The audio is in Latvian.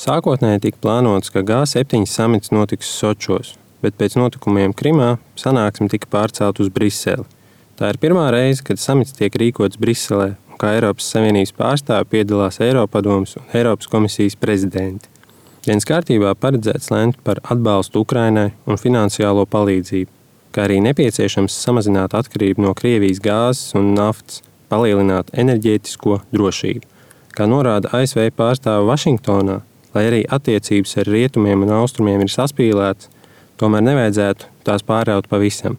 Sākotnēji tika plānots, ka G7 samits notiks Sočos, bet pēc notikumiem Krimā sanāksme tika pārcelt uz Briseli. Tā ir pirmā reize, kad samits tiek rīkots Briselē, un kā Eiropas Savienības pārstāvi piedalās Eiropadomes un Eiropas komisijas prezidenti. Dienas kārtībā paredzēts lemt par atbalstu Ukrainai un finansiālo palīdzību, kā arī nepieciešams samazināt atkarību no Krievijas gāzes un naftas, palielināt enerģētisko drošību. Kā norāda ASV pārstāve Vašingtonā, lai arī attiecības ar rietumiem un austrumiem ir saspīlētas, tomēr nevajadzētu tās pāraut pavisam.